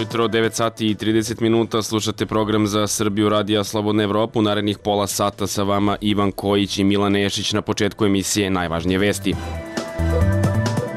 ujutro, 9 sati i 30 minuta, slušate program za Srbiju Radija Slobodna Evropa. U narednih pola sata sa vama Ivan Kojić i Milan Nešić. Na početku emisije najvažnije vesti.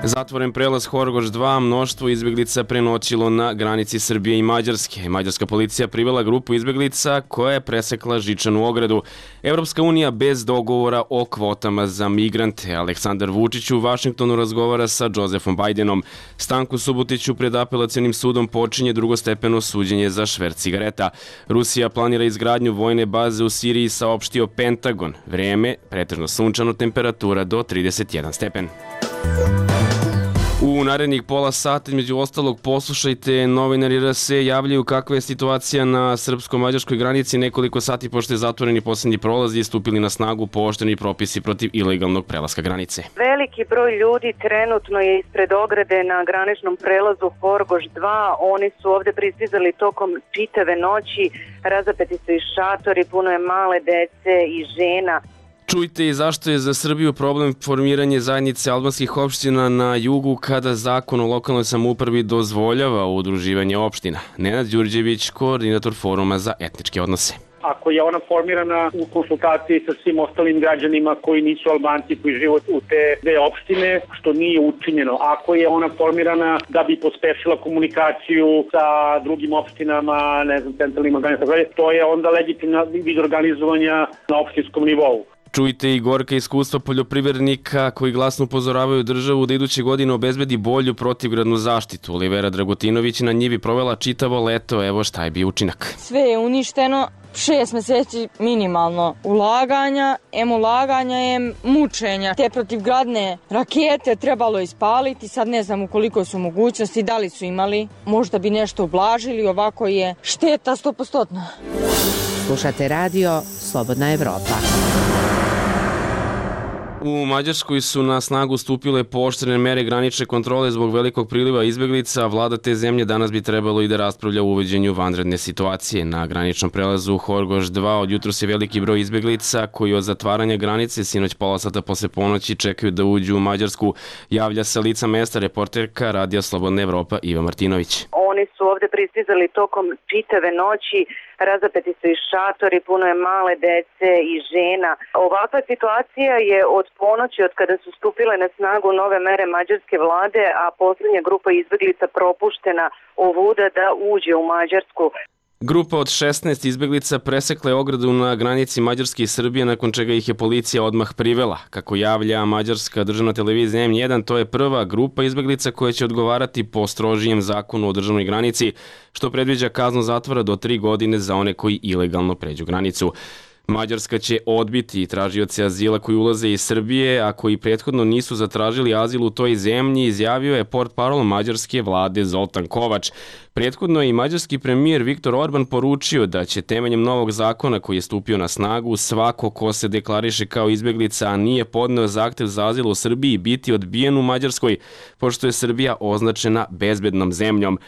Zatvoren prelaz Horgoš 2, mnoštvo izbjeglica prenoćilo na granici Srbije i Mađarske. Mađarska policija privela grupu izbjeglica koja je presekla žičanu ogradu. Evropska unija bez dogovora o kvotama za migrante. Aleksandar Vučić u Vašingtonu razgovara sa Josefom Bajdenom. Stanku Subotiću pred apelacionim sudom počinje drugostepeno suđenje za šverc cigareta. Rusija planira izgradnju vojne baze u Siriji, saopštio Pentagon. Vreme, pretežno sunčano, temperatura do 31 stepen. U narednih pola sata, između ostalog, poslušajte, novinari RS javljaju kakva je situacija na srpsko-mađarskoj granici. Nekoliko sati pošto je zatvoreni posljednji prolazi, stupili na snagu pooštreni propisi protiv ilegalnog prelaska granice. Veliki broj ljudi trenutno je ispred ograde na graničnom prelazu Horgoš 2. Oni su ovde pristizali tokom čitave noći, razapeti su i šatori, puno je male dece i žena. Čujte i zašto je za Srbiju problem formiranje zajednice albanskih opština na jugu kada zakon o lokalnoj samoupravi dozvoljava udruživanje opština. Nenad Đurđević, koordinator Foruma za etničke odnose. Ako je ona formirana u konsultaciji sa svim ostalim građanima koji nisu Albanci, koji žive u te dve opštine, što nije učinjeno. Ako je ona formirana da bi pospešila komunikaciju sa drugim opštinama, centralnim organizacijama, to je onda legitimna vid organizovanja na opštinskom nivou. Čujte i gorka iskustva poljoprivrednika koji glasno upozoravaju državu da iduće godine obezbedi bolju protivgradnu zaštitu. Olivera Dragutinović na njivi provela čitavo leto, evo šta je bio učinak. Sve je uništeno, 6 meseci minimalno ulaganja, ulaganja je mučenja. Te protivgradne rakete trebalo ispaliti, sad ne znam u koliko su mogućnosti, da li su imali, možda bi nešto ublažili, ovako je šteta 100%. Slušate radio Slobodna Evropa. U Mađarskoj su na snagu stupile pooštrene mere granične kontrole zbog velikog priliva izbjeglica. Vlada te zemlje danas bi trebalo i da raspravlja o uvođenju vanredne situacije. Na graničnom prelazu Horgoš 2 od jutros je veliki broj izbjeglica koji od zatvaranja granice sinoć pola sata posle ponoći čekaju da uđu u Mađarsku. Javlja sa lica mesta reporterka Radija Slobodna Evropa Iva Martinović. Oni su ovde pristizali tokom čitave noći, razapeti su i šatori, puno je male dece i žena. Ovakva situacija je od ponoći, od kada su stupile na snagu nove mere mađarske vlade, a posljednja grupa izbjeglica propuštena ovuda da uđe u Mađarsku. Grupa od 16 izbjeglica presekla je ogradu na granici Mađarske i Srbije, nakon čega ih je policija odmah privela. Kako javlja mađarska državna televizija M1, to je prva grupa izbjeglica koja će odgovarati po strožijem zakonu o državnoj granici, što predviđa kaznu zatvora do 3 godine za one koji ilegalno pređu granicu. Mađarska će odbiti tražioce azila koji ulaze iz Srbije, a koji prethodno nisu zatražili azil u toj zemlji, izjavio je portparol mađarske vlade Zoltan Kovač. Prethodno je i mađarski premijer Viktor Orban poručio da će temeljem novog zakona koji je stupio na snagu svako ko se deklariše kao izbjeglica, a nije podneo zahtev za azil u Srbiji, biti odbijen u Mađarskoj, pošto je Srbija označena bezbednom zemljom.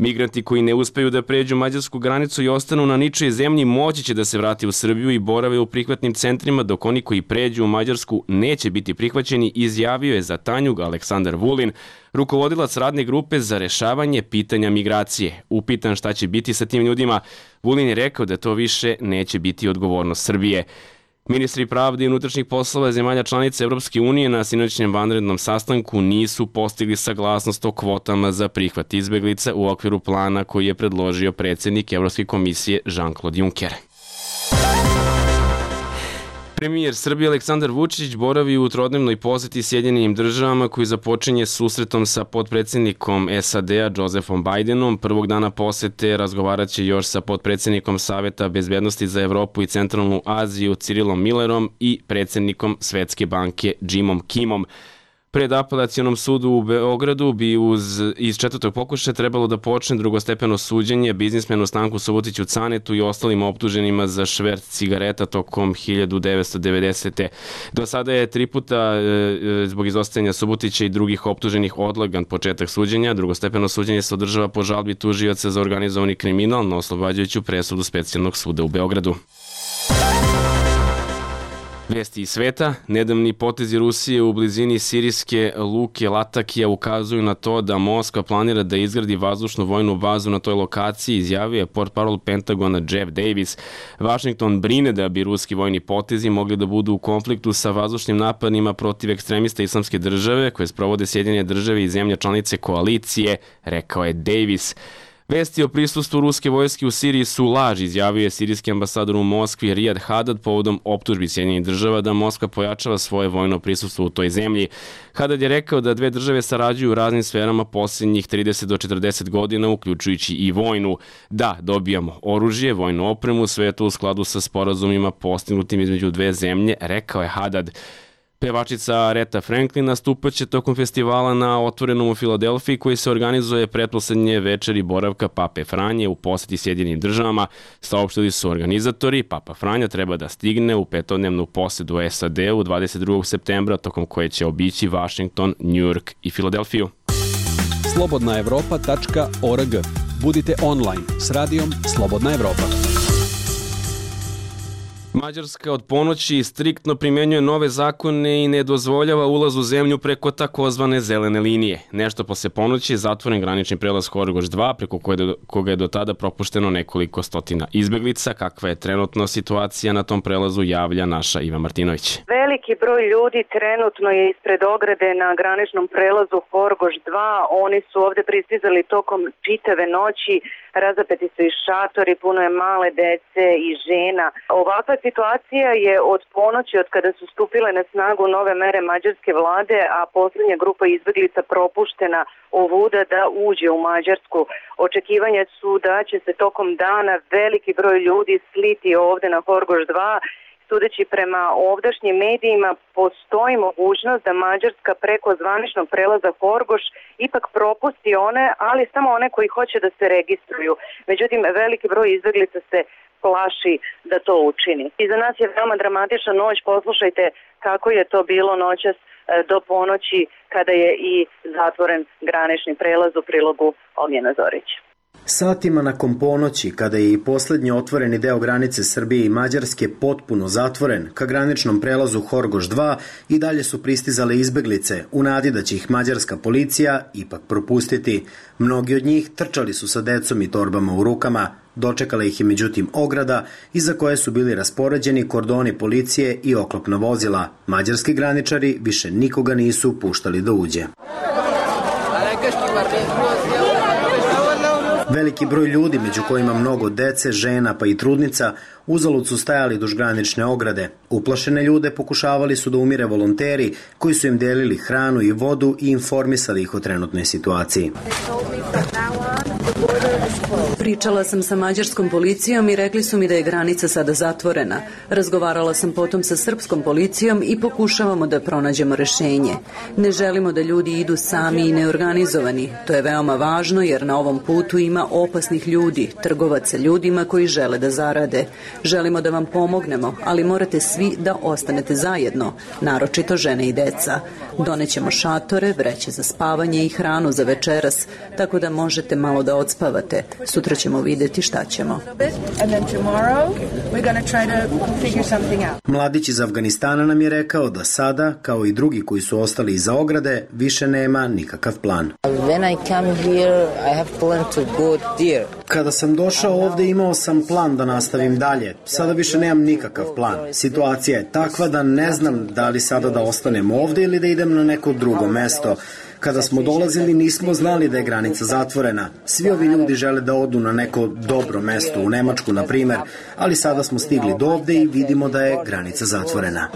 Migranti koji ne uspeju da pređu mađarsku granicu i ostanu na ničijoj zemlji moći će da se vrati u Srbiju i borave u prihvatnim centrima, dok oni koji pređu u Mađarsku neće biti prihvaćeni, izjavio je za Tanjug Aleksandar Vulin, rukovodilac radne grupe za rešavanje pitanja migracije. Upitan šta će biti sa tim ljudima, Vulin je rekao da to više neće biti odgovornost Srbije. Ministri pravde i unutrašnjih poslova zemalja članica Evropske unije na sinoćnjem vanrednom sastanku nisu postigli saglasnost o kvotama za prihvat izbjeglica u okviru plana koji je predložio predsjednik Evropske komisije Jean-Claude Juncker. Premijer Srbije Aleksandar Vučić boravi u trodnevnoj poseti Sjedinjenim državama koji započinje susretom sa potpredsjednikom SAD-a Josefom Bajdenom. Prvog dana posete razgovarat će još sa potpredsjednikom Saveta bezbednosti za Evropu i Centralnu Aziju Cirilom Millerom i predsjednikom Svetske banke Jimom Kimom. Pred apelacionom sudu u Beogradu bi iz četvrtog pokušaja trebalo da počne drugostepeno suđenje biznismenu Stanku Subotiću Canetu i ostalim optuženima za šverc cigareta tokom 1990. Do sada je 3 puta zbog izostajanja Subotića i drugih optuženih odlagan početak suđenja. Drugostepeno suđenje se održava po žalbi tužioca za organizovani kriminal na oslobađajuću presudu Specijalnog suda u Beogradu. Vesti iz sveta, nedavni potezi Rusije u blizini sirijske luke Latakija ukazuju na to da Moskva planira da izgradi vazdušnu vojnu bazu na toj lokaciji, izjavio je portparol Pentagona Jeff Davis. Washington brine da bi ruski vojni potezi mogli da budu u konfliktu sa vazdušnim napadima protiv ekstremista Islamske države koje sprovode Sjedinjene države i zemlje članice koalicije, rekao je Davis. Vesti o prisustvu ruske vojske u Siriji su laž, izjavio je sirijski ambasador u Moskvi Rijad Hadad povodom optužbi Sjedinjenih država da Moskva pojačava svoje vojno prisustvo u toj zemlji. Hadad je rekao da dve države sarađuju u raznim sferama posljednjih 30 do 40 godina, uključujući i vojnu. Da, dobijamo oružje, vojnu opremu, sve je to u skladu sa sporazumima postignutim između dve zemlje, rekao je Hadad. Pevačica Aretha Franklin nastupaće tokom festivala na Otvorenom u Filadelfiji koji se organizuje pretposlednje večeri boravka Pape Franje u poseti Sjedinjenim državama. Saopštili su organizatori, Papa Franja treba da stigne u petodnevnu posedu SAD-u 22. septembra, tokom koje će obići Washington, New York i Filadelfiju. slobodnaevropa.org. Budite online s radijom Slobodna Evropa. Mađarska od ponoći striktno primenjuje nove zakone i ne dozvoljava ulaz u zemlju preko takozvane zelene linije. Nešto posle ponoći je zatvoren granični prelaz Horgoš 2, preko koga je do tada propušteno nekoliko stotina izbeglica. Kakva je trenutno situacija na tom prelazu, javlja naša Iva Martinović. Veliki broj ljudi trenutno je ispred ograde na graničnom prelazu Horgoš 2. Oni su ovde pristizali tokom čitave noći. Razapeti su i šatori, puno je male dece i žena. Ovakva situacija je od ponoći, od kada su stupile na snagu nove mere mađarske vlade, a poslednja grupa izbeglica propuštena ovuda da uđe u Mađarsku. Očekivanja su da će se tokom dana veliki broj ljudi sliti ovde na Horgoš 2. Sudeći prema ovdašnjim medijima, postoji mogućnost da Mađarska preko zvaničnog prelaza Horgoš ipak propusti one, ali samo one koji hoće da se registruju. Međutim, veliki broj izbeglica se plaši da to učini. I za nas je veoma dramatična noć. Poslušajte kako je to bilo noćas do ponoći kada je i zatvoren granični prelaz, u prilogu Ognjena Zorića. Satima nakon ponoći, kada je i poslednji otvoreni deo granice Srbije i Mađarske potpuno zatvoren, ka graničnom prelazu Horgoš 2 i dalje su pristizale izbeglice, u nadi da će ih mađarska policija ipak propustiti. Mnogi od njih trčali su sa decom i torbama u rukama. Dočekala ih je međutim ograda, iza koje su bili raspoređeni kordoni policije i oklopna vozila. Mađarski graničari više nikoga nisu puštali da uđe. Veliki broj ljudi, među kojima mnogo dece, žena pa i trudnica, uzalud su stajali duž granične ograde. Uplašene ljude pokušavali su da umire volonteri koji su im delili hranu i vodu i informisali ih o trenutnoj situaciji. Pričala sam sa mađarskom policijom i rekli su mi da je granica sada zatvorena. Razgovarala sam potom sa srpskom policijom i pokušavamo da pronađemo rešenje. Ne želimo da ljudi idu sami i neorganizovani. To je veoma važno jer na ovom putu ima opasnih ljudi, trgovaca ljudima koji žele da zarade. Želimo da vam pomognemo, ali morate svi da ostanete zajedno, naročito žene i deca. Donećemo šatore, vreće za spavanje i hranu za večeras, tako da možete malo da odspavate. Sutra ćemo videti šta ćemo. Mladić iz Afganistana nam je rekao da sada, kao i drugi koji su ostali iza ograde, više nema nikakav plan. Kada sam došao ovde imao sam plan da nastavim dalje. Sada više nemam nikakav plan. Situacija je takva da ne znam da li sada da ostanem ovde ili da idem na neko drugo mesto. Kada smo dolazili nismo znali da je granica zatvorena. Svi ovi ljudi žele da odu na neko dobro mesto, u Nemačku na primer, ali sada smo stigli do ovde i vidimo da je granica zatvorena.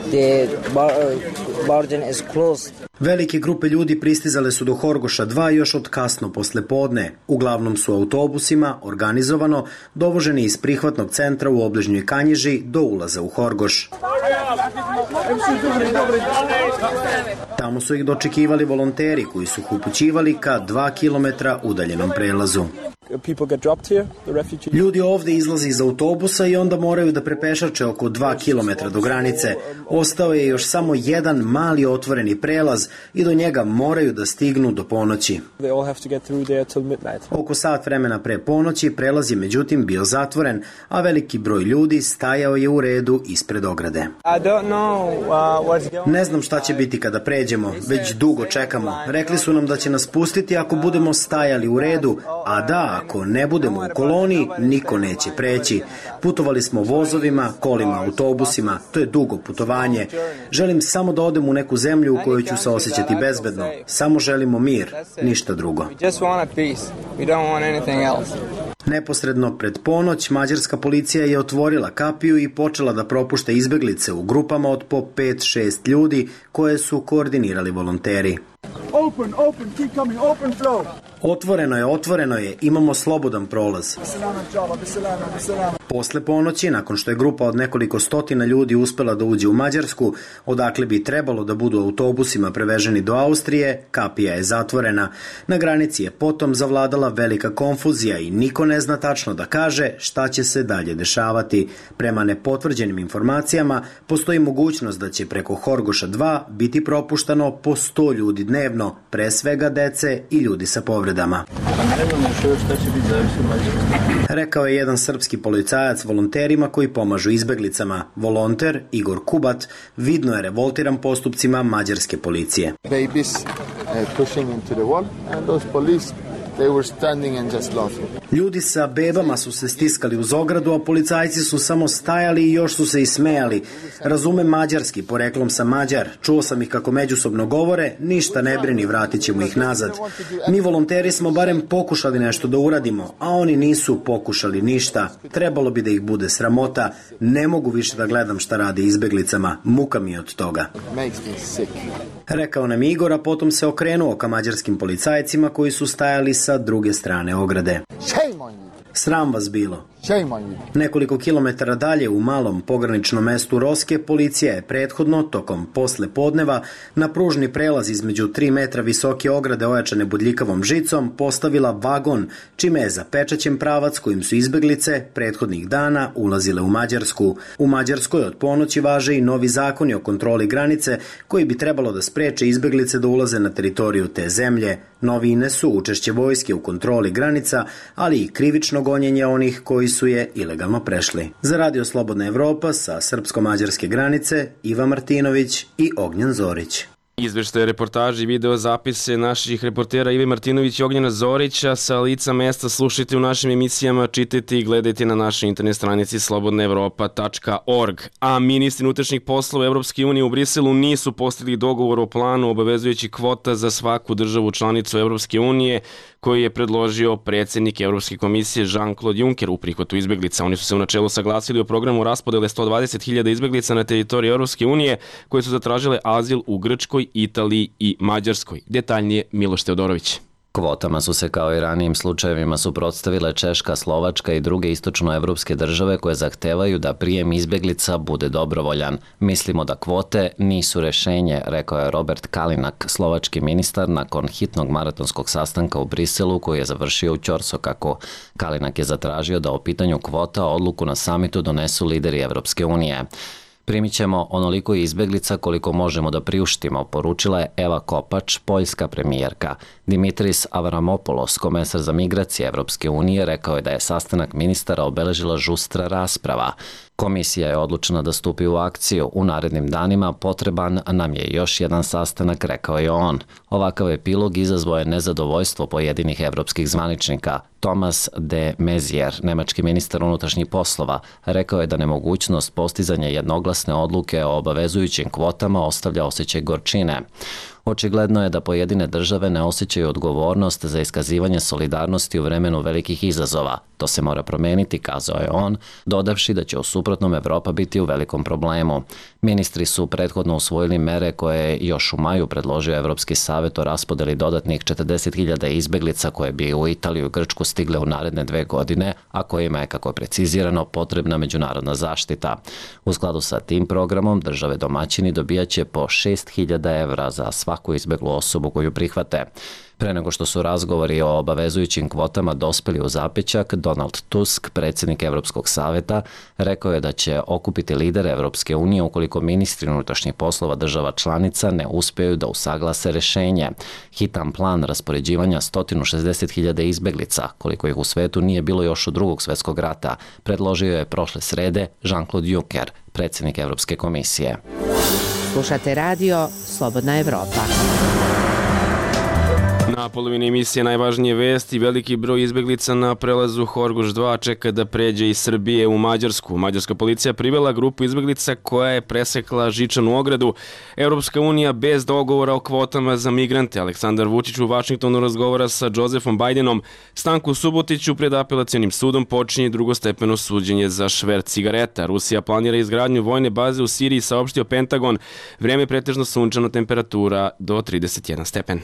Velike grupe ljudi pristizale su do Horgoša 2 još od kasno posle podne. Uglavnom su autobusima, organizovano, dovoženi iz prihvatnog centra u obližnjoj Kanjiži do ulaza u Horgoš. Tamo su ih dočekivali volonteri koji su ih upućivali ka 2 kilometra udaljenom prelazu. Ljudi ovde izlaze iz autobusa i onda moraju da prepešače oko 2 kilometra do granice. Ostao je još samo jedan mali otvoreni prelaz i do njega moraju da stignu do ponoći. Oko sat vremena pre ponoći prelaz je međutim bio zatvoren, a veliki broj ljudi stajao je u redu ispred ograde. Ne znam šta će biti kada pređemo, već dugo čekamo. Rekli su nam da će nas pustiti ako budemo stajali u redu, a da, ako ne budemo u koloni, niko neće preći. Putovali smo vozovima, kolima, autobusima, to je dugo putovanje. Želim samo da odem u neku zemlju u kojoj ću se osjećati bezbedno. Samo želimo mir, ništa drugo. Neposredno pred ponoć, mađarska policija je otvorila kapiju i počela da propušta izbeglice u grupama od po 5-6 ljudi koje su koordinirali volonteri. Otvoreno je, imamo slobodan prolaz. Posle ponoći, nakon što je grupa od nekoliko stotina ljudi uspela da uđe u Mađarsku, odakle bi trebalo da budu autobusima preveženi do Austrije, kapija je zatvorena. Na granici je potom zavladala velika konfuzija i niko ne zna tačno da kaže šta će se dalje dešavati. Prema nepotvrđenim informacijama, postoji mogućnost da će preko Horgoša 2 biti propuštano po 100 ljudi dnevno, pre svega dece i ljudi sa povredama. Rekao je jedan srpski policajac volonterima koji pomažu izbeglicama. Volonter Igor Kubat vidno je revoltiran postupcima mađarske policije. Ljudi sa bebama su se stiskali uz ogradu, a policajci su samo stajali i još su se i smejali. Razumem mađarski, poreklom sam Mađar. Čuo sam ih kako međusobno govore, ništa ne brini, vratit ćemo ih nazad. Mi volonteri smo barem pokušali nešto da uradimo, a oni nisu pokušali ništa. Trebalo bi da ih bude sramota. Ne mogu više da gledam šta rade izbeglicama. Muka mi je od toga. Rekao nam Igor, a potom se okrenuo ka mađarskim policajcima koji su stajali sa druge strane ograde. Sram vas bilo. Nekoliko kilometara dalje u malom pograničnom mestu Roske policija je prethodno, tokom posle podneva, na pružni prelaz između 3 metra visoke ograde ojačane bodljikavom žicom postavila vagon, čime je zapečaćen pravac kojim su izbeglice prethodnih dana ulazile u Mađarsku. U Mađarskoj od ponoći važe i novi zakoni o kontroli granice koji bi trebalo da spreče izbeglice da ulaze na teritoriju te zemlje. Novine su učešće vojske u kontroli granica, ali i krivično gonjenje onih koji su je ilegalno prešli. Za Radio Slobodna Evropa sa srpsko-mađarske granice Iva Martinović i Ognjen Zorić. Izveštaje, reportaže i video zapise naših reportera Ive Martinović i Ognjena Zorića sa lica mesta slušajte u našim emisijama, čitajte i gledajte na našoj internet stranici slobodnaevropa.org. A ministri unutrašnjih poslova Evropske unije u Briselu nisu postigli dogovor o planu obavezujući kvota za svaku državu članicu Evropske unije koji je predložio predsjednik Evropske komisije Jean-Claude Juncker u prihvatu izbeglica. Oni su se u načelu saglasili o programu raspodele 120.000 izbeglica na teritoriji Evropske unije koje su zatražile azil u Grčkoj, Italiji i Mađarskoj. Detaljnije Miloš Teodorović. Kvotama su se kao i ranijim slučajevima suprotstavile Češka, Slovačka i druge istočnoevropske države koje zahtevaju da prijem izbeglica bude dobrovoljan. Mislimo da kvote nisu rešenje, rekao je Robert Kalinak, slovački ministar, nakon hitnog maratonskog sastanka u Briselu koji je završio u Ćorsokaku. Kalinak je zatražio da o pitanju kvota odluku na samitu donesu lideri Evropske unije. Primit ćemo onoliko izbeglica koliko možemo da priuštimo, poručila je Eva Kopač, poljska premijerka. Dimitris Avramopoulos, komesar za migracije Evropske unije, rekao je da je sastanak ministara obeležila žustra rasprava. Komisija je odlučena da stupi u akciju. U narednim danima potreban nam je još jedan sastanak, rekao je on. Ovakav epilog izazvao je nezadovoljstvo pojedinih evropskih zvaničnika. Thomas de Maizière, nemački ministar unutrašnjih poslova, rekao je da nemogućnost postizanja jednoglasne odluke o obavezujućim kvotama ostavlja osjećaj gorčine. Očigledno je da pojedine države ne osjećaju odgovornost za iskazivanje solidarnosti u vremenu velikih izazova. To se mora promeniti, kazao je on, dodavši da će u suprotnom Evropa biti u velikom problemu. Ministri su prethodno usvojili mere koje je još u maju predložio Evropski savet o raspodeli dodatnih 40.000 izbeglica koje bi u Italiju i Grčku stigle u naredne 2 godine, a kojima je, kako je precizirano, potrebna međunarodna zaštita. U skladu sa tim programom države domaćini dobijaće po 6.000 evra za svaku svaku izbeglu osobu koju prihvate. Pre nego što su razgovori o obavezujućim kvotama dospeli u zapećak, Donald Tusk, predsjednik Evropskog saveta, rekao je da će okupiti lidere Evropske unije ukoliko ministri unutrašnjih poslova država članica ne uspjeju da usaglase rešenje. Hitan plan raspoređivanja 160.000 izbeglica, koliko ih u svetu nije bilo još od Drugog svjetskog rata, predložio je prošle srede Jean-Claude Juncker, predsjednik Evropske komisije. Slušate radio Slobodna Evropa. Na polovini emisije najvažnije vesti, veliki broj izbeglica na prelazu Horgoš 2 čeka da pređe iz Srbije u Mađarsku. Mađarska policija privela grupu izbeglica koja je presekla žičanu ogradu. Europska unija bez dogovora o kvotama za migrante. Aleksandar Vučić u Vašingtonu razgovara sa Josefom Bajdenom. Stanku Subotiću pred apelacionim sudom počinje drugostepeno suđenje za šverc cigareta. Rusija planira izgradnju vojne baze u Siriji, saopštio Pentagon. Vreme je pretežno sunčano, temperatura do 31 stepen.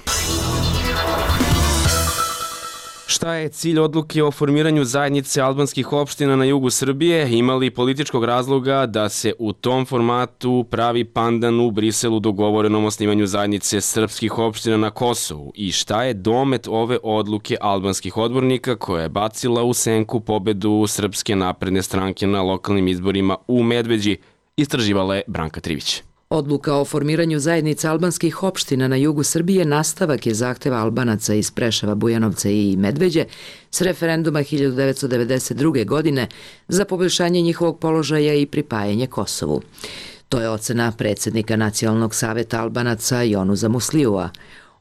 Šta je cilj odluke o formiranju zajednice albanskih opština na jugu Srbije? Ima li političkog razloga da se u tom formatu pravi pandan u Briselu dogovorenom osnivanju zajednice srpskih opština na Kosovu? I šta je domet ove odluke albanskih odbornika koja je bacila u senku pobedu Srpske napredne stranke na lokalnim izborima u Medveđi? Istraživala je Branka Trivić. Odluka o formiranju zajednice albanskih opština na jugu Srbije nastavak je zahteva Albanaca iz Preševa, Bujanovca i Medveđe s referenduma 1992. godine za poboljšanje njihovog položaja i pripajanje Kosovu. To je ocena predsjednika Nacionalnog saveta Albanaca Jonusa Musliua.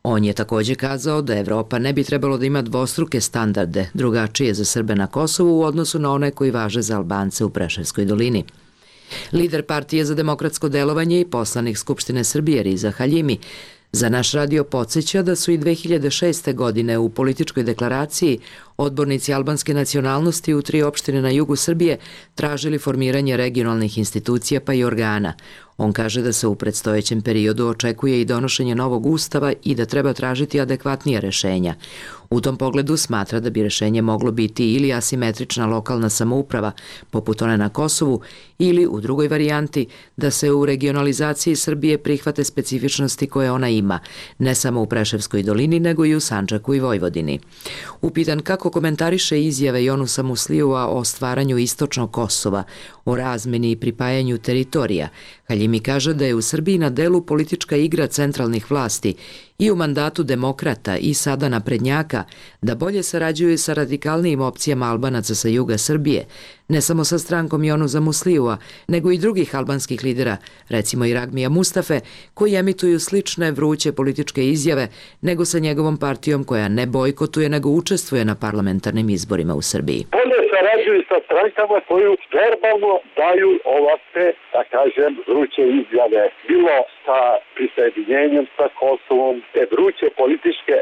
On je također kazao da Evropa ne bi trebalo da ima dvostruke standarde, drugačije za Srbe na Kosovu u odnosu na one koji važe za Albance u Preševskoj dolini. Lider Partije za demokratsko delovanje i poslanik Skupštine Srbije Riza Haljimi za naš radio podsjeća da su i 2006. godine u političkoj deklaraciji odbornici albanske nacionalnosti u 3 opštine na jugu Srbije tražili formiranje regionalnih institucija pa i organa. On kaže da se u predstojećem periodu očekuje i donošenje novog ustava i da treba tražiti adekvatnije rešenja. U tom pogledu smatra da bi rešenje moglo biti ili asimetrična lokalna samouprava, poput one na Kosovu, ili u drugoj varijanti da se u regionalizaciji Srbije prihvate specifičnosti koje ona ima, ne samo u Preševskoj dolini, nego i u Sandžaku i Vojvodini. Upitan kako komentariše izjave Jonusa Musliua o stvaranju istočnog Kosova, o razmeni i pripajanju teritorija, Haljimi kaže da je u Srbiji na delu politička igra centralnih vlasti i u mandatu demokrata i sada naprednjaka da bolje sarađuju sa radikalnijim opcijama Albanaca sa juga Srbije, ne samo sa strankom Jonusa Musliua, nego i drugih albanskih lidera, recimo i Ragmija Mustafe, koji emituju slične vruće političke izjave nego sa njegovom partijom koja ne bojkotuje nego učestvuje na parlamentarnim izborima u Srbiji. Bolje sarađuju sa strankama koju verbalno daju ovakve, da kažem, vruće izjave. Bilo sa prisjedinjenjem sa Kosovom, te vruće političke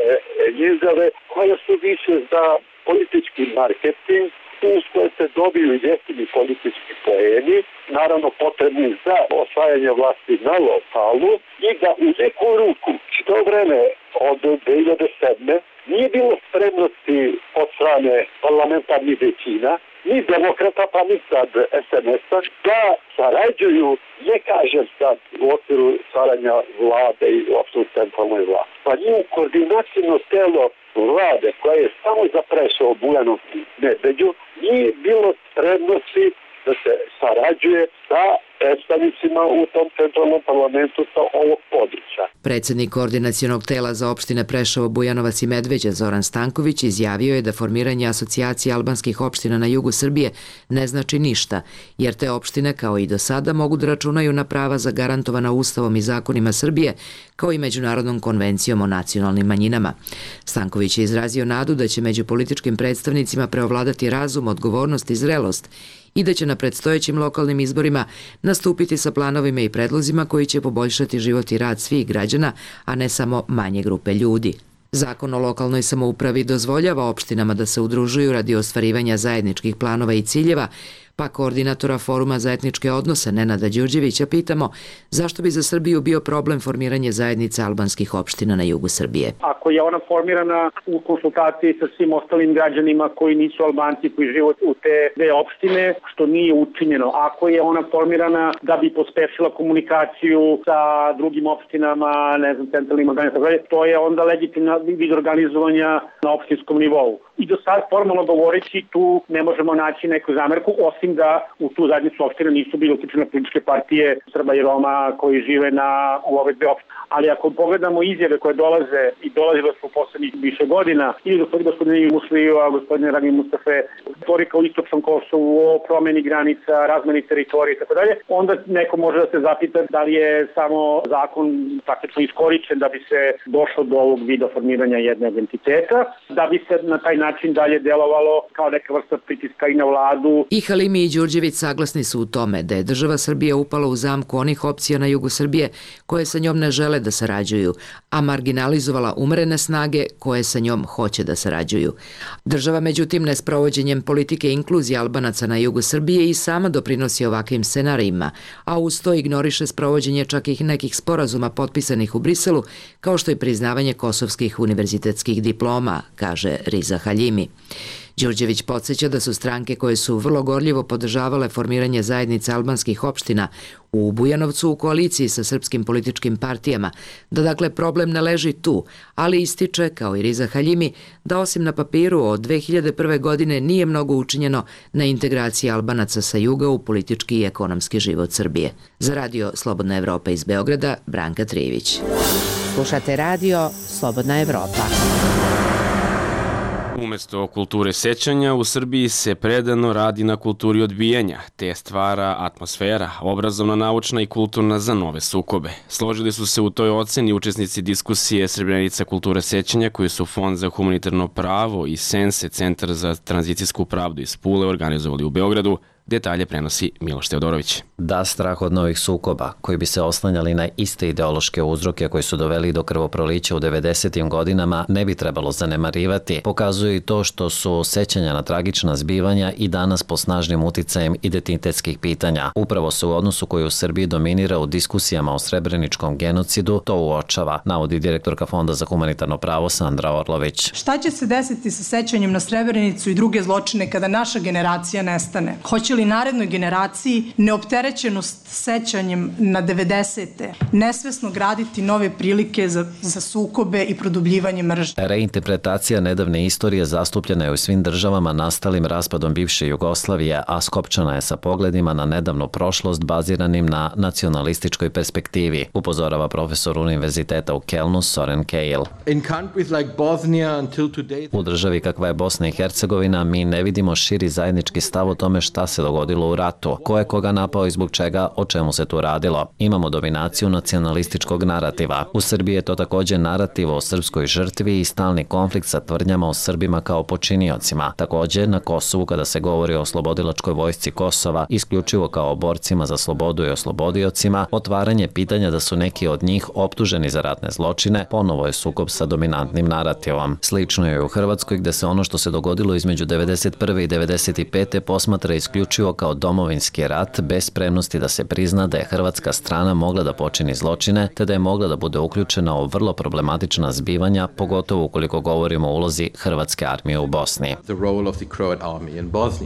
izjave koje su više za politički marketing, uz koje se dobiju jeftini politički poeni, naravno potrebni za osvajanje vlasti na lokalu i da u neku ruku što vreme od 2007. nije bilo spremnosti od strane parlamentarnih većina, ni demokrata pa ni sad SNS-a, da sarađuju, ne kažem sad u okviru stvaranja vlade i uopšte u centralnoj vlasti. Pa nije koordinacijno telo vlade koja je samo zaprešao Bujanovcu i Medveđu, nije bilo spremnosti da se sarađuje sa predstavnicima u tom centralnom parlamentu sa ovog područja. Predsjednik koordinacionog tela za opštine Preševo, Bujanovac i Medveđa Zoran Stanković izjavio je da formiranje asocijacije albanskih opština na jugu Srbije ne znači ništa, jer te opštine kao i do sada mogu da računaju na prava zagarantovana Ustavom i zakonima Srbije, kao i Međunarodnom konvencijom o nacionalnim manjinama. Stanković je izrazio nadu da će među političkim predstavnicima preovladati razum, odgovornost i zrelost i da će na predstojećim lokalnim izborima nastupiti sa planovima i predlozima koji će poboljšati život i rad svih građana, a ne samo manje grupe ljudi. Zakon o lokalnoj samoupravi dozvoljava opštinama da se udružuju radi ostvarivanja zajedničkih planova i ciljeva, Pa koordinatora Foruma za etničke odnose Nenada Đurđevića pitamo zašto bi za Srbiju bio problem formiranje zajednice albanskih opština na jugu Srbije. Ako je ona formirana u konsultaciji sa svim ostalim građanima koji nisu Albanci, koji žive u te dve opštine, što nije učinjeno. Ako je ona formirana da bi pospešila komunikaciju sa drugim opštinama, centralnim organizacijama, to je onda legitimna vid organizovanja na opštinskom nivou. I do sad, formalno govoreći, tu ne možemo naći neku zamerku, osim da u tu zajednicu opština nisu bile uključene političke partije Srba i Roma koji žive u ove dve opštine. Ali ako pogledamo izjave koje dolazile su u poslednjih više godina, ili gospodine Musliju, gospodine Rami Mustafe, retorika u istočnom Kosovu, o promeni granica, razmeni teritorije i tako dalje, onda neko može da se zapita da li je samo zakon praktično iskoričen da bi se došlo do ovog vida formiranja jednog entiteta, da bi se na taj način dalje delovalo kao neka vrsta pritiska i na vladu. I Halimi i Đurđević saglasni su u tome da je država Srbija upala u zamku onih opcija na jugu Srbije koje sa njom ne žele da sarađuju, a marginalizovala umerene snage koje sa njom hoće da sarađuju. Država, međutim, nesprovođenjem politike inkluzije Albanaca na jugu Srbije i sama doprinosi ovakvim scenarijima, a uz to ignoriše sprovođenje čak i nekih sporazuma potpisanih u Briselu, kao što je priznavanje kosovskih univerzitetskih diploma, kaže Riza Haljimi. Đurđević podsjeća da su stranke koje su vrlo gorljivo podržavale formiranje zajednice albanskih opština u Bujanovcu u koaliciji sa srpskim političkim partijama, da dakle problem ne leži tu, ali ističe, kao i Riza Haljimi, da osim na papiru od 2001. godine nije mnogo učinjeno na integraciji Albanaca sa juga u politički i ekonomski život Srbije. Za radio Slobodna Evropa iz Beograda, Branka Trijević. Slušate radio Slobodna Evropa. Umesto kulture sećanja, u Srbiji se predano radi na kulturi odbijanja, te stvara atmosfera, obrazovna, naučna i kulturna za nove sukobe. Složili su se u toj oceni učesnici diskusije Srebrenica kulture sećanja, koji su Fond za humanitarno pravo i Sense, Centar za tranzicijsku pravdu iz Pule, organizovali u Beogradu. Detalje prenosi Miloš Teodorović. Da, strah od novih sukoba, koji bi se oslanjali na iste ideološke uzroke koji su doveli do krvoprolića u 90. godinama, ne bi trebalo zanemarivati. Pokazuje i to što su sećanja na tragična zbivanja i danas po snažnim uticajem identitetskih pitanja. Upravo se u odnosu koji u Srbiji dominira u diskusijama o srebreničkom genocidu to uočava, navodi direktorka Fonda za humanitarno pravo Sandra Orlović. Šta će se desiti sa sećanjem na Srebrenicu i druge zločine kada naša generacija nestane? Hoće li narednoj generaciji neopterećenost sećanjem na 90. nesvesno graditi nove prilike za sukobe i produbljivanje mržnje? Reinterpretacija nedavne istorije zastupljena je u svim državama nastalim raspadom bivše Jugoslavije, a skopčana je sa pogledima na nedavnu prošlost baziranim na nacionalističkoj perspektivi, upozorava profesor Univerziteta u Kelnu Soren Keil. U državi kakva je Bosna i Hercegovina mi ne vidimo širi zajednički stav o tome šta se dogodilo u ratu, ko je koga napao i zbog čega, o čemu se tu radilo. Imamo dominaciju nacionalističkog narativa. U Srbiji je to također narativ o srpskoj žrtvi i stalni konflikt sa tvrdnjama o Srbima kao počiniocima. Također, na Kosovu kada se govori o oslobodilačkoj vojsci Kosova, isključivo kao o borcima za slobodu i oslobodiocima, otvaranje pitanja da su neki od njih optuženi za ratne zločine, ponovo je sukob sa dominantnim narativom. Slično je u Hrvatskoj gde se ono što se dogodilo između 91. i 95. posmatra isključivo kao domovinski rat bez spremnosti da se prizna da je hrvatska strana mogla da počini zločine te da je mogla da bude uključena u vrlo problematična zbivanja, pogotovo ukoliko govorimo o ulozi hrvatske armije u Bosni.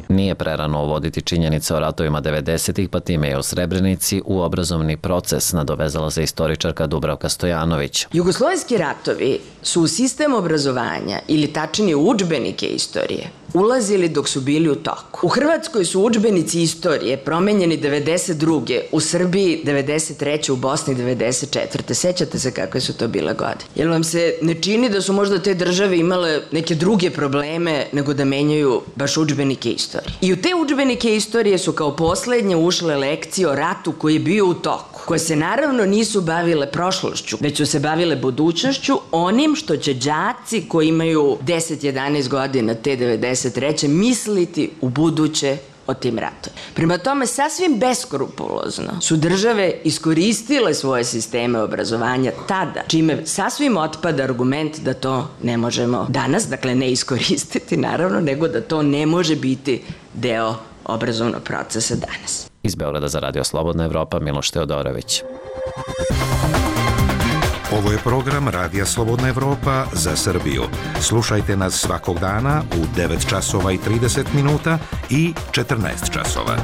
Nije prerano uvoditi činjenice o ratovima 90-ih, pa time je u Srebrenici u obrazovni proces, nadovezala se istoričarka Dubravka Stojanović. Jugoslovenski ratovi su u sistem obrazovanja ili tačnije u udžbenike istorije ulazili dok su bili u toku. U Hrvatskoj su udžbenici istorije promenjeni 92. U Srbiji 93. U Bosni 94. Sećate se kakve su to bile godine? Jel vam se ne čini da su možda te države imale neke druge probleme nego da menjaju baš udžbenike istorije? I u te udžbenike istorije su kao poslednje ušle lekcije o ratu koji je bio u toku, koje se naravno nisu bavile prošlošću, već su se bavile budućnošću, onim što će đaci koji imaju 10-11 godina te 93. misliti u buduće o tim ratovima. Prema tome, sasvim beskrupulozno su države iskoristile svoje sisteme obrazovanja tada, čime sasvim otpada argument da to ne možemo danas, dakle ne iskoristiti naravno, nego da to ne može biti deo obrazovnog procesa danas. Iz Beograda za Radio Slobodna Evropa, Miloš Teodorović. Ovo je program Radija Slobodna Evropa za Srbiju. Slušajte nas svakog dana u 9 časova i 30 minuta i 14 časova.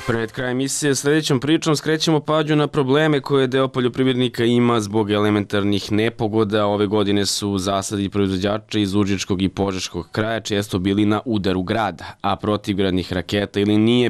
Pred kraj emisije sljedećom pričom skrećemo pažnju na probleme koje deo poljoprivrednika ima zbog elementarnih nepogoda. Ove godine su zasadi proizvođača iz Užičkog i Požeškog kraja često bili na udaru grada, a protivgradnih raketa ili nije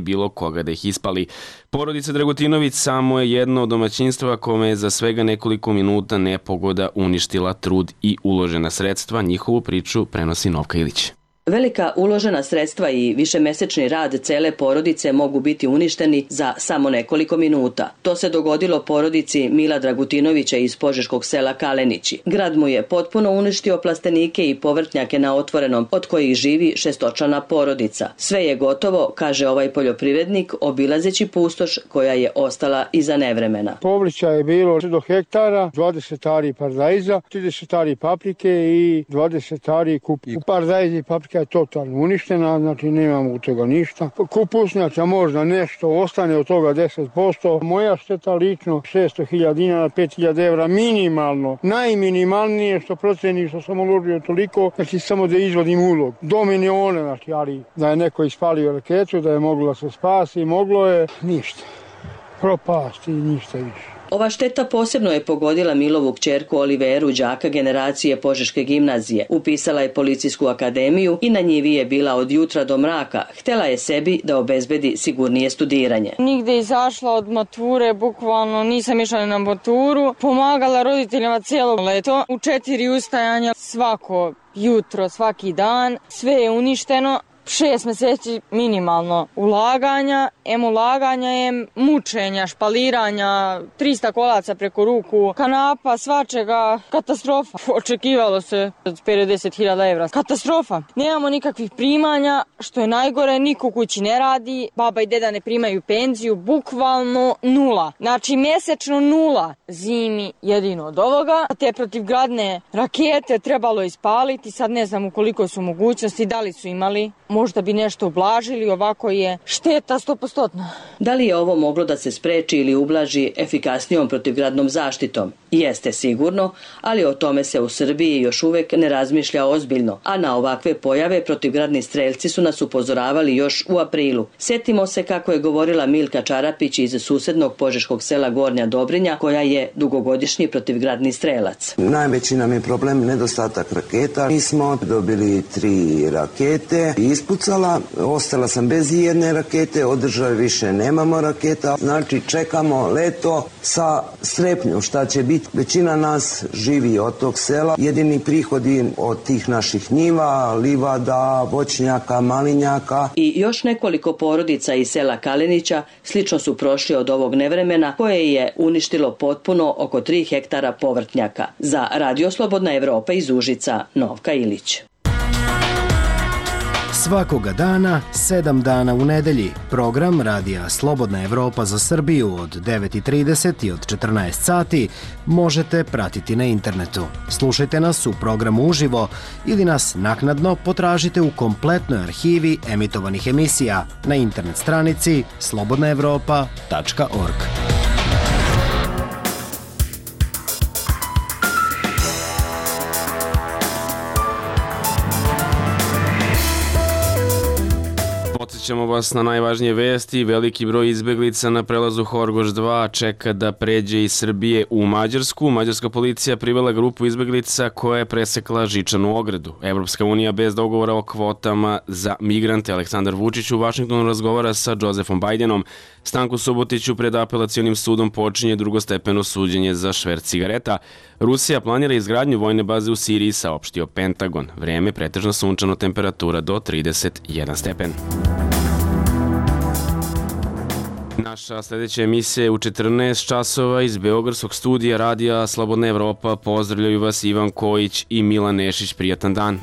bilo koga da ih ispali. Porodica Dragutinović samo je jedno od domaćinstva kome je za svega nekoliko minuta nepogoda uništila trud i uložena sredstva. Njihovu priču prenosi Novka Ilić. Velika uložena sredstva i višemesečni rad cele porodice mogu biti uništeni za samo nekoliko minuta. To se dogodilo porodici Mila Dragutinovića iz požeškog sela Kalenići. Grad mu je potpuno uništio plastenike i povrtnjake na otvorenom, od kojih živi šestočlana porodica. Sve je gotovo, kaže ovaj poljoprivrednik, obilazeći pustoš koja je ostala iza nevremena. Povrća je bilo do hektara, 20 ari paradajza, 30 ari paprike i 20 ari kupusa. U paradajzi paprika je totalno uništena, znači nemamo u toga ništa. Kupusnjača možda nešto ostane od toga 10%. Moja šteta lično 600.000 dinara, 5.000 evra minimalno. Najminimalnije što proceni što sam uložio toliko, znači samo da izvodim ulog. Do miliona, znači, ali da je neko ispalio raketu, da je moglo se spasi, moglo je ništa. Propasti i ništa više. Ova šteta posebno je pogodila Milovu kćerku Oliveru, đaka generacije Požeške gimnazije. Upisala je policijsku akademiju i na njivi je bila od jutra do mraka. Htela je sebi da obezbedi sigurnije studiranje. Nigde izašla od mature, bukvalno nisam išla na maturu. Pomagala roditeljima cijelo leto. U 4 ustajanja svako jutro, svaki dan. Sve je uništeno. 6 meseci minimalno ulaganja, mučenja, špaliranja, 300 kolaca preko ruku, kanapa, svačega, katastrofa. Očekivalo se od 50.000 evra. Katastrofa. Nemamo nikakvih primanja, što je najgore, niko kući ne radi, baba i deda ne primaju penziju, bukvalno nula. Znači mesečno nula. Zimi jedino od ovoga. Te protivgradne rakete trebalo ispaliti, sad ne znam u koliko su mogućnosti, da li su imali. Možda bi nešto ublažili, ovako je šteta 100%. Da li je ovo moglo da se spreči ili ublaži efikasnijom protivgradnom zaštitom? Jeste sigurno, ali o tome se u Srbiji još uvek ne razmišlja ozbiljno, a na ovakve pojave protivgradni strelci su nas upozoravali još u aprilu. Sjetimo se kako je govorila Milka Čarapić iz susednog požeškog sela Gornja Dobrinja, koja je dugogodišnji protivgradni strelac. Najveći nam je problem nedostatak raketa. Mi smo dobili 3 rakete i ispucala, ostala sam bez jedne rakete, od države više nemamo raketa, znači čekamo leto sa strepnjom šta će biti. Većina nas živi od tog sela, jedini prihodi od tih naših njiva, livada, voćnjaka, malinjaka. I još nekoliko porodica iz sela Kalenića slično su prošli od ovog nevremena koje je uništilo potpuno oko 3 hektara povrtnjaka. Za Radio Slobodna Evropa iz Užica, Novka Ilić. Svakoga dana, 7 dana u nedelji, program Radija Slobodna Evropa za Srbiju od 9:30 i od 14 sati možete pratiti na internetu. Slušajte nas u programu uživo ili nas naknadno potražite u kompletnoj arhivi emitovanih emisija na internet stranici slobodnaevropa.org. Podsjećamo vas na najvažnije vesti. Veliki broj izbeglica na prelazu Horgoš 2 čeka da pređe iz Srbije u Mađarsku. Mađarska policija privela grupu izbeglica koja je presekla žičanu ogradu. Evropska unija bez dogovora o kvotama za migrante. Aleksandar Vučić u Vašingtonu razgovara sa Josefom Bajdenom. Stanku Subotiću pred apelacionim sudom počinje drugostepeno suđenje za šverc cigareta. Rusija planira izgradnju vojne baze u Siriji, saopštio Pentagon. Vreme pretežno sunčano, temperatura do 31 stepen. Naša sljedeća emisija je u 14 časova iz Beogradskog studija radija Slobodna Evropa. Pozdravljaju vas Ivan Kojić i Milan Nešić. Prijatan dan.